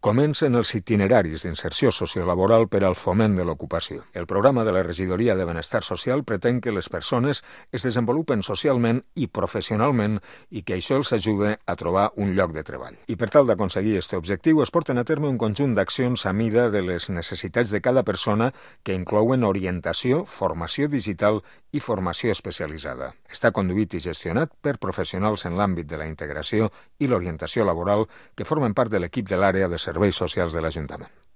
Comencen els itineraris d'inserció sociolaboral per al foment de l'ocupació. El programa de la Regidoria de Benestar Social pretén que les persones es desenvolupen socialment i professionalment i que això els ajude a trobar un lloc de treball. I per tal d'aconseguir aquest objectiu es porten a terme un conjunt d'accions a mida de les necessitats de cada persona que inclouen orientació, formació digital i formació especialitzada. Està conduït i gestionat per professionals en l'àmbit de la integració i l'orientació laboral que formen part de l'equip de l'àrea de serveis socials de l'Ajuntament.